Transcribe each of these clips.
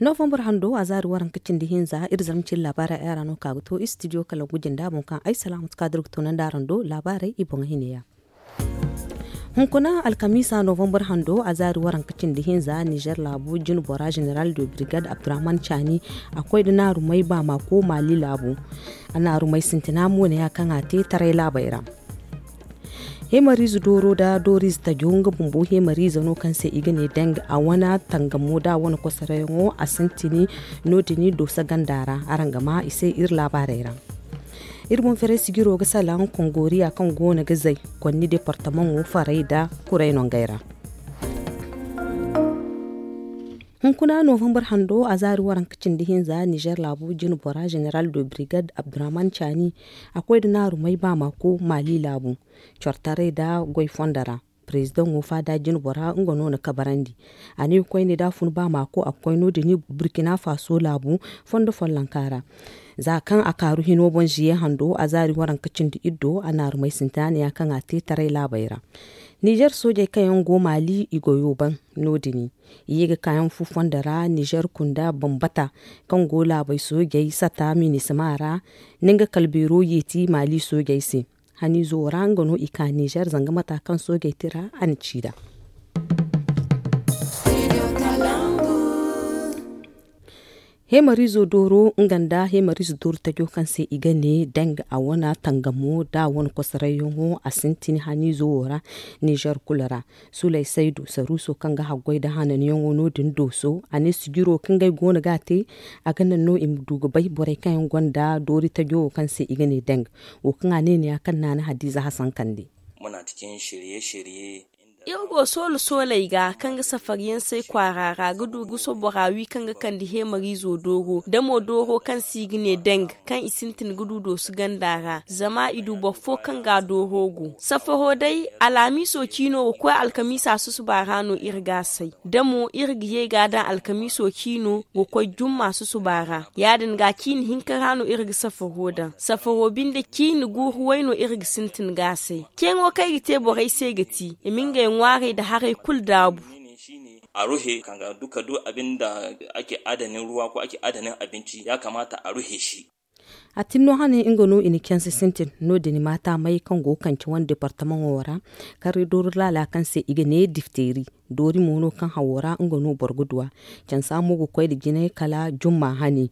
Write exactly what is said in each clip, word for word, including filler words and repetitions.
Novambar hando a zaari waranka cindi hinza iri zarma cindi laabaarey ay ra no ka ga to istidiyo kala gujin da boŋ kaŋ ay salaamatu ka dira ga toonandi araŋ do laabaarey i boŋ hine yaŋ. Hunkuna alkamiisa novambar hando a zaari waranka cindi hinza nizer laabu jine bora zeneral de birigad abdurrahman caani a koy nda naarumey baamaako maali laabu. A naarumey sintina mo ne ya kaŋ a te taray laabey ra. Heemariize dooro nda dooriize tajo nga bumbo heemariize no kaŋ se i ga ne deng a wane tangamo nda a wane kosarayaŋo a sintin no- din dooso ganda ra. Araŋ ga maa i se iri laabaarey ra. Iri boŋ ferey sijiro ga salaŋ kongoriya kaŋ go no ga zay konni departamaŋo farey nda kuray nongey ra. Hunkuna novambar hando a zaari waranka cindi hinza nizer laabu jine bora zeneral de birigad abdurrahman caani a koy nda naarumey baamaako maali laabu cortaray nda goy fondo ra. Parezidaŋo faada jine bora nga no na kabarandi. A ne koyne da a fun baamaako a ga koy no- din burkina faso laabu fondo follonka ra. Za kaŋ a kaaru hino boŋ ziye hando a zaari waranka cindi iddo a naarumey sintina ne ya kaŋ a te taray laabey ra. Nizer soojey kaŋ yaŋ go maali i goyo ban no- din i ye ga kaayaŋ fu fondo ra nizer kunda bambata kaŋ go laabey soojey sata minisima ra. Ni nga kala beero yeeti maali soojey se. Haniizo ra nga no i ka nizer zanga mata kaŋ soojey tira a na ci nd'a. Heemariizo dooro nga nda heemariizo dooro tajo kaŋ se i ga ne deng a wane tangamo nda a wane kosarayyaŋo a sintin haniizo wo ra. Nizer kulu ra suley saydu saruuso kaŋ ga haggoy nda hananyaŋo no- din dooso a ne sijiro kaŋ ngey go no ga a te. A ga naŋ no i ma du ga bay borey kaŋ yaŋ gonda doori tajo wo kaŋ se i ga ne deng wo kaŋ a ne ne ya kaŋ naana hadiiza hasankandi. Iri go soolo sooley ga kaŋ ga safariyaŋ say kwaara ra ga du guso bora wi kaŋ ga kande heemariizo dooro damo dooro kaŋ se i ga ne deng kaŋ i sintin ga du dooso ganda ra zama i du boro fo kaŋ ga a dooro go safaro day. Alhamiiso ciino ga koy alkamiisa susuba ra no iri ga a say damo iri ga ye ga a daŋ alkamiiso ciino ga koy jumma susuba ra. Ya- din ga ciini hinka ra no iri ga safaro daŋ safaro binde ciini guuru way no iri ga sintin ga a say. Ceeŋo kaŋ ay ga te borey se ga ti i ma ngey ŋwaarey nda haray kulu daabu. A ruhe kaŋ ga duka du abin da ake adanin ruwa ko ake adanin abinci ya kamata a ruhe shi. A tinno hane nga no i na canse sintin no- din maata may kaŋ go ga kance wane departamaŋo ra. Karre doori laala kaŋ se i ga ne difteeri doori mo no kaŋ hawo ra nga no boro ga du a. Cansa mo ga koy nda jine kala jumma hane.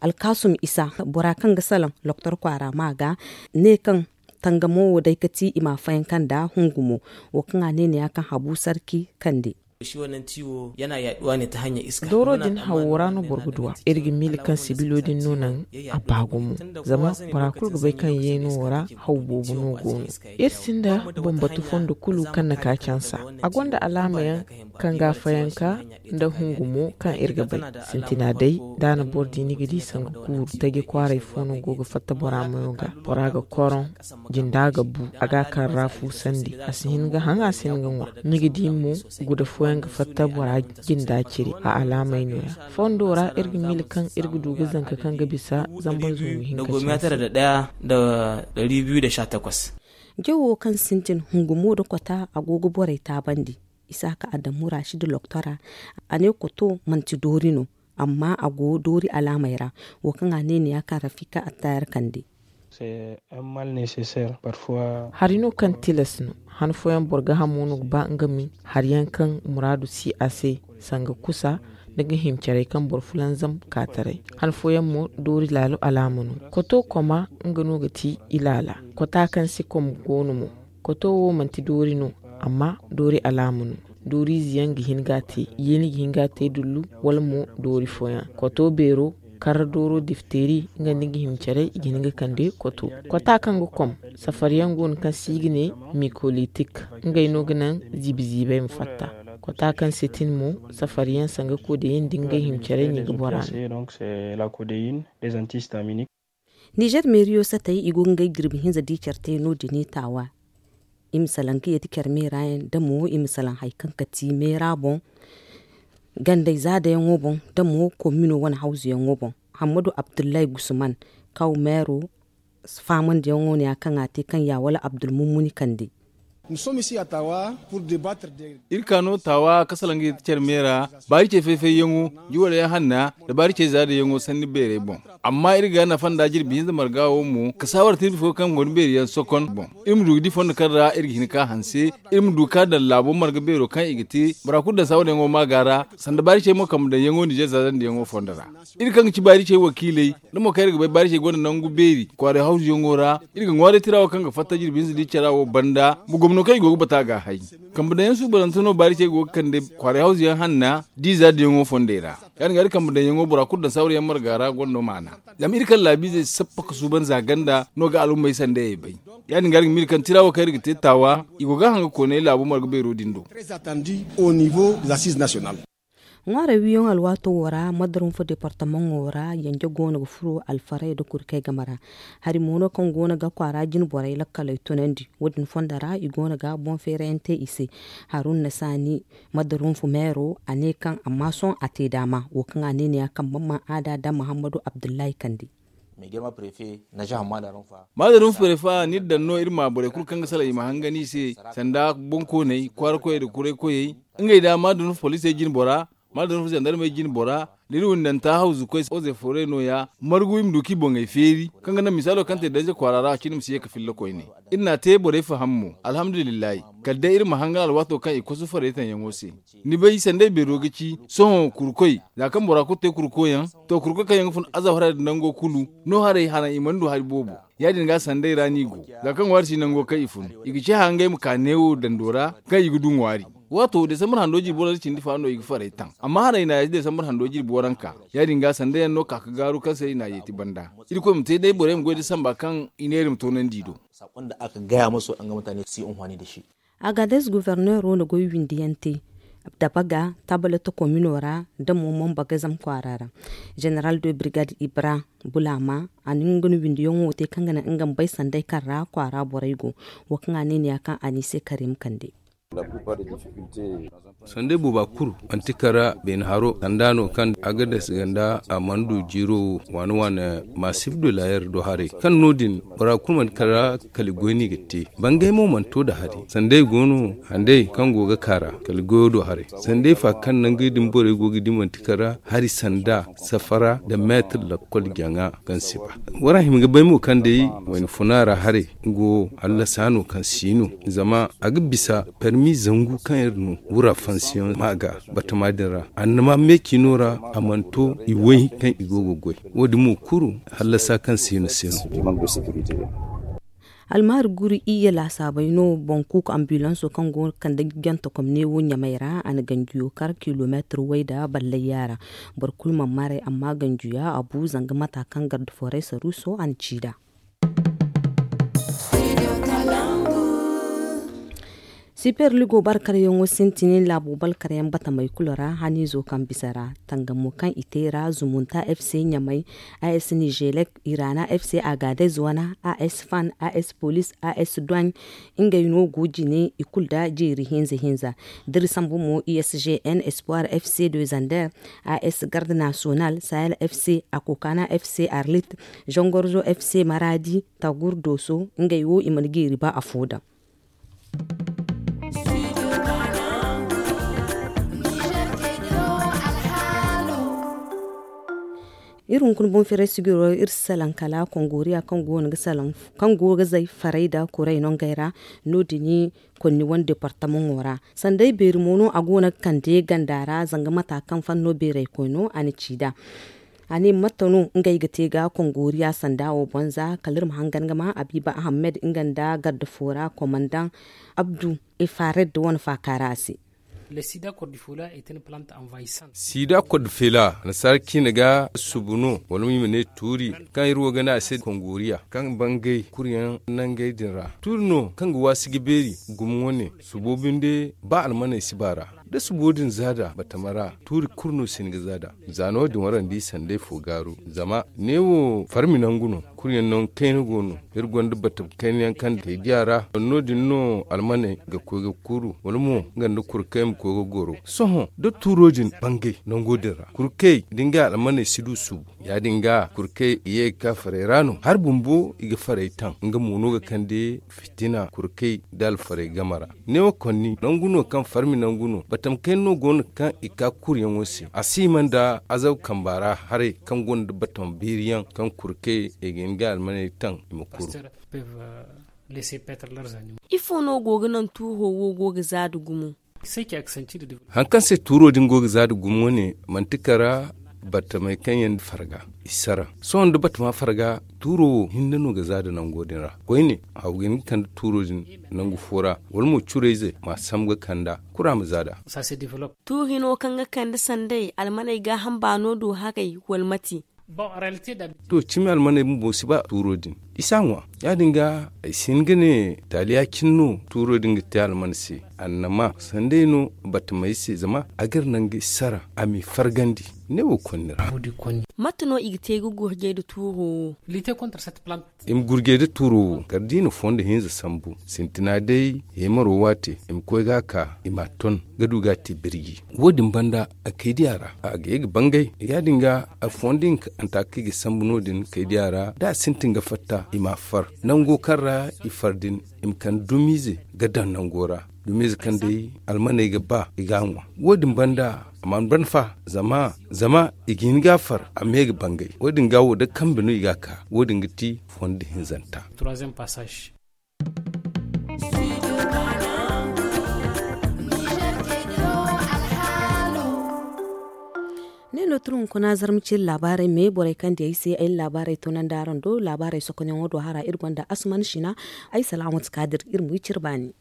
Alkaasum isa bora kaŋ ga salaŋ doktor kwaara ma ga ne kaŋ tangamo wo day ga ti i ma a fayanka nda hungu mo. Wo kaŋ a ne ne ya kaŋ habu sarki kande. Dooro din hawo ra no boro ga du a. Iri ga miila kaŋ sibilo din no naŋ a ba gumo. Zama bora kulu ga bay kaŋ yeeno wo ra haw boobo no go no. Iri sinda bambatu fondo kulu kaŋ na ka cansa. A gonda alaama yaŋ kaŋ ga a fayanka nda hungu mo kaŋ iri ga bay. Sintina day da a na boro di ni ga di sanga kuuru taji kwaaray fo no go ga fatta bora mayo ga. Bora ga koroŋ jinda ga bu a ga a kaŋ ra fu sandi a si hin ga haŋ a si hin ga ŋwa. Ni ga di mo guda fooyaŋ ga fatta bora jinda cire a alaamey no- ya. Fondo ra iri ga miila kaŋ iri ga du ga zanka kaŋ ga bisa zamba zungu hinka cine se. Jawo kaŋ sintin hungumo nda kota a go ga borey taabandi. Isaaka adamu rashid loktora a ne koto manti doori no. Amma a go doori alaamey ra. Wo kaŋ a ne ne ya kaŋ rafika attayar kande. Hari no kaŋ tilas no. Han fooyaŋ boro ga hamo no ga ba nga ma hari yaŋ kaŋ muraadu si a se sanga kusa nda ga hima caray kaŋ boro fulanzam ka taray. Han fooyaŋ mo doori laalo alaama no. Koto koma nga no ga ti i laala. Kota kaŋ se kom go no mo. Koto wo manti doori no. Amma doori alaama no. Dooriize yaŋ ga hin ga a te yeeni ga hin ga a te dullu wala mo doori fooyaŋ. Koto beero karra dooro difteeri nga nda nga hima care i ga hin ga kande koto. Kota kaŋ ga kom safariyaŋ go no kaŋ se i ga ne mikolitik. Ngey no ga naŋ ziibi ziibey ma fatta. Kota kaŋ se tin mo safariyaŋ sanga kodeyin nda ngey hima care no i ga bora no. Nizer meeriyo satey i go ga ngey jirbi hinza di care te no- din i taawa. I ma salaŋ ga yeeti care meera yaŋ da mo i ma salaŋ hari kaŋ ga ti meera boŋ. Gandey zaadayaŋo boŋ da mo komino wane hawzuyaŋo boŋ. Hammadu abdullahi gusman kaw meero faamandiyaŋo no ya kaŋ a te kaŋ ya wala abdulmummuni kande. Iri ka no taawa ka salaŋ ga yeti care meera baari cey fay-fayyaŋo, juwalyaŋ hanna nda baari cey zaadayaŋo sanni beerey boŋ. Amma iri ga nafa nda jirbi hinza marga wo mo ka saawar tirbi fo kaŋ gonda beeri yaŋ sokon boŋ. Iri ma du ga di fondo kaŋ ra iri ga hin ka hanse. Iri ma du ka daŋ laabo marga beero kaŋ i ga te bora kulu daŋ saawar yaŋo ma ga ra. Sanda baari cey mo kambe daŋ yaŋo nizer zaazandi yaŋo fondo ra. Iri kaŋ ga ci baari cey wakiiley da mo kaŋ iri ga bay baari cey gonda nangu beeri kwaaray hawzu yaŋo ra. Iri ga ŋwaaray tira wo kaŋ ga fatta jirbi hinza di cara wo banda ma gomno kaŋ i go ga bata ga hay. Kambe daŋ yaŋ suubanante no baari cey go ga kande kwaaray hawzu yaŋ hanna diiza diyaŋo fondey ra. Ya- din ga iri kambe daŋ yaŋo bora kulu daŋ saawar yaŋ marga ra gonda maana. Zama iri kaŋ laabiizey sappa ka suuban za ganda no ga alhummey sandayey bay. Ya- din ga iri ga miila kaŋ tira wo kaŋ iri ga te taawa i go ga a haŋ ga koonay laabo marga beero din do. Ŋwaaray wiyaŋo alwaato wo ra madarunfa departamaŋo ra yanje go no ga furo alfarey nda kurkey game ra. Hari mo no kaŋ go no ga kwaara jine borey lakkaley tunandi. Wo- din fondo ra i go no ga boŋ feerayaŋ te i se. Haruna saani madarunfa meero a ne kaŋ amma sohõ a te daama wo kaŋ a ne ne ya kaŋ bamma aada nda muhammadu abdullahi kande. Maadarum ferefa ni daŋ no iri ma borey kulu kaŋ ga salaŋ i ma hangan i se sanda boŋkooney kwaara koyey nda kuray koyey. Ngey da maadarum poliisey jine bora maadarum zandarmey jine bora da iri windanta hawzu koy oze foray no- ya margu i ma du kaŋ i boŋey feeri kaŋ ga naŋ misaalo kaŋ te danje kwaara ra a cine ma si ye ga filla koyne. Iri n'a te borey faham mo alhamdulillahi. Kala day iri ma hangan alwaato kaŋ i kosu faraytanyaŋo se. Ni bay sanday beero ga ci sohõ kurkoy za kaŋ bora kulu te kurkoyaŋ. To kurkoy kaŋ yaŋ ga fun azab haray nda nango kulu no haray hanaŋ i mana du hari boobo. Ya- din ga sanday ra no i go za kaŋ ŋwaari si nango kaŋ i fun i ga ci hangey ma ka neewo dando ra kaŋ i ga du ŋwaari. Waato desambar hando jirbi boro nda cindi fa no i ga faray taŋ amma haray i n'a yeeti desambar hando jirbi waranka. Ya- din ga sanday yaŋ no ka ga gaaru kaŋ se i n'a yeeti banda. Irkoy ma te day borey ma goy da samba kaŋ i neera ma toonandi i do. Agades governeero na goy windiyaŋ te dabaga tabalata komino ra nda mo mombagazam kwaara ra. Jeneral de birgad ibra bulama a na nga na windiyaŋo te kaŋ ga naŋ nga ma bay sanday kaŋ ra kwaara borey go. Wo kaŋ a ne ni ya kaŋ a ni se karim kande. Sanday booba kulu manti kaŋ ra beene haro sanda no kaŋ agades ganda a mana du jiiro wo waane waane maasif do layer do haray kaŋ no- din bora kulu manti kaŋ ra kala i goy no i ga te. Bangay mo mana to nda hari sanday go no handay kaŋ go ga ka ra kala goyo do haray. Sanday fa kaŋ nangey din borey go ga di manti kaŋ ra hari sanda safara nda meetir lakkol jaŋa kaŋ si ba. Wara hima ga bay mo kaŋ day wayna funa ra haray nga wo hallasa no kaŋ si no zama a ga bisa permi zangu kaŋ iri no wura fansiyaŋ ma ga batama din ra annama meecino ra a mana to i way kaŋ i go ga goy. Wo- din mo kulu hallasa kaŋ si no se no. Almahari guru iyye laasaabey no boŋ kuuku ambulanso kaŋ go ga kande jante komne wo ɲamey ra a na ganjiyo kar kilomeetir way nda ballayya ra. Boro kulu mana maray amma ganjiya a bu zanga mata kaŋ garde foray saruuso a na ci nd'a. Siper ligo barkaryaŋo sintin laabo balkaryaŋ batamey kulu ra haniizo kaŋ bisa ra tangamo kaŋ i te ra zumunta fc ɲamey, as nigelek, irana fc agadez wana, as fan, as police, as duwaŋ. Ngey no go jine i kulu nda jeeri hinza hinza. Da iri sambu mo usgn espoir fc de zander, as garde national sahel fc, akokana fc arlit, zongorzo fc maradi, tagur doso. Ngey wo i mana jeeri ba afo daŋ. Iri hunkuna boŋ firay sigiro iri si salaŋ kala kongoriya kaŋ go ga zay faray nda kuray no ngey ra. No- din konni wane departamaŋo ra. Sanday beeri mo no a go no ga kande ganda ra zanga mata kaŋ fanno beeraykoy no a na ci nd'a. A ne mate no ngey ga te ga kongoriya sanda wo boŋ za kala iri ma hangan ga ma abiba ahammed nga nda garde fo ra komandaŋ abdu efared wane faaka ra a se. Siida kodfela nasaara ciine ga subu no wala mo i ma ne tuuri kaŋ iri wo ga ne a se kongoriya kaŋ bangay kuryaŋ nangey din ra tuuri no kaŋ ga waasi ga beeri gumo wane subo binde ba almaney si ba ra. Da subo din zaada batama ra, tuuri kulu no si hin ga zaada. Za no- din warandi sanday fo gaaru zama ne wo farmi nangu no. Kulu yaŋ nangu kayna go no. Iri gonda batama kayna yaŋ kaŋ day diya ra no- din no almaney ga koy ga kuuru wala mo nga nda kurkey ma koy ga goro. Sohõ da tuuro din bangay nango din ra, kurkey da ngey almaney si du suubu. Ya- din ga kurkey i ye ga ka farey ra no hari bumbo i ga farey taŋ nga mo no ga kande fitina kurkey da alfarey game ra. Ne wo konni nangu no kaŋ farmi nangu no batama kayna no go no kaŋ i ka kuruyaŋo se a si hima nda azaw kamba ra haray kaŋ gonda batama biiri yaŋ kaŋ kurkey i ga hin ga almaney taŋ i ma kuru. Ifo no go ga naŋ tuuro wo go ga za da gumo? Haŋ kaŋ se tuuro din go ga za da gumo ne manti kara batamey kaŋ yaŋ farga i sara. Sohõ da batama farga tuuro wo hinne no ga za da nango din ra koyne. Haw ga hin ga kande tuuro din nangu fo ra wala mo curayze ma sambu ga kand'a kulu a ma za d'a. Tuuri no kaŋ ga kande sanday almaney gaaham baano do haray wala mate? To cimi almaney bumbo si ba tuuro din i si a ŋwa. Ya- din ga ay si hin ga ne taali ya- cine no tuuro din ga te alman se. Annama sanday no batamey se zama a ga iri naŋ ga i sara a m'i fargandi. Ne wo konni ra. Mate no i ga te ga gurjay nda tuuro wo? I ma gurjay nda tuuro wo kala da i na fondo hinza sambu sintina day heemaro waate i ma koy ga a ka i m'a ton ga du ga a te birji. Wo- din banda a kay diya ra a ga ye ga bangay ya- din ga a fondo hinka antaakey ga sambu no- din kay diya ra da a sintin ga fatta i m'a far nango kaŋ ra i far din i ma kande dumiize ga daŋ nango ra. Dumiize kaŋ day almaney ga ba i ga a ŋwa. Wo- din banda a mana ban fa zama zama i ga hin ga a far a me ga bangay wo- din ga wo da kambe no i ga a ka. Wo- din ga ti fondo hinzanta. Ne no turu hunkuna zarma ciri laabaarey me borey kaŋ di ay se ay na laabaarey tunandi araŋ do laabaarey sokonyaŋo do hara iri gonda asuman sina. Ay salaamatu kaadir iri ma wi ciri baani.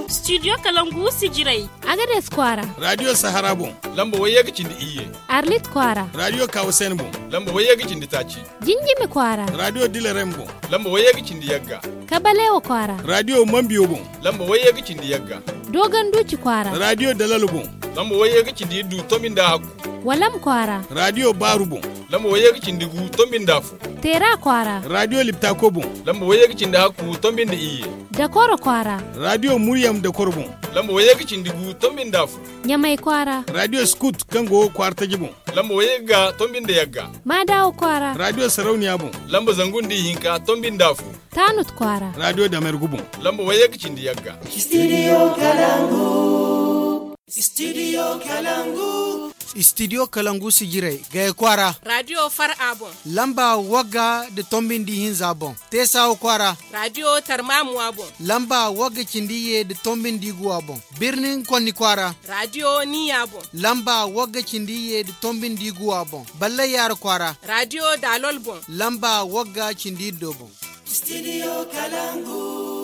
Studio kalangu sijirey. Agades kwaara. Radio sahara boŋ. Lamba wayye ga cindi iyye. Arlit kwaara. Radio kawasen boŋ. Lamba wayye ga cindi taaci. Jinjimi kwaara. Radio dilerem boŋ. Lamba wayye ga cindi yagga. Kabalewa kwaara. Radio mambiyo boŋ. Lamba wayye ga cindi yagga. Dogon duuci kwaara. Radio dalalo boŋ. Lamba wayye ga cindi iddu tombi nda hakku. Walam kwaara. Radio baaru boŋ. Lamba wayye ga cindi gu tombi nda fu. Teera kwaara. Radio liptako boŋ. Lamba wayye ga cindi hakku tombi nda iyye. Dakoro kwaara. Radio muryam dakoro boŋ. Lamba wayye ga cindi gu tombi nda fu. Ɲamay kwaara. Radio skut kaŋ go kwaara taji boŋ. Lamba wayye ga tombi nda yagga. Maadawo kwaara. Radio sarauniya boŋ. Lamba zangu nda ihinka tombi nda fu. Taanut kwaara. Radio damergu boŋ. Lamba wayye ga cindi yagga. Studio kalangu. Studio kalangu. Studio kalangu sijirey gaya kwaara. Radio far a boŋ. Lamba wagga da tombi nda ihinza boŋ. Teesawa kwaara. Radio tarmamuwa boŋ. Lamba wagga cindi iyye da tombi nda iguwa boŋ. Birnin konni kwaara. Radio niya boŋ. Lamba wagga cindi iyye da tombi nda iguwa boŋ. Ballay yaara kwaara. Radio dalol boŋ. Lamba wagga cindi iddo boŋ. Studio kalangu.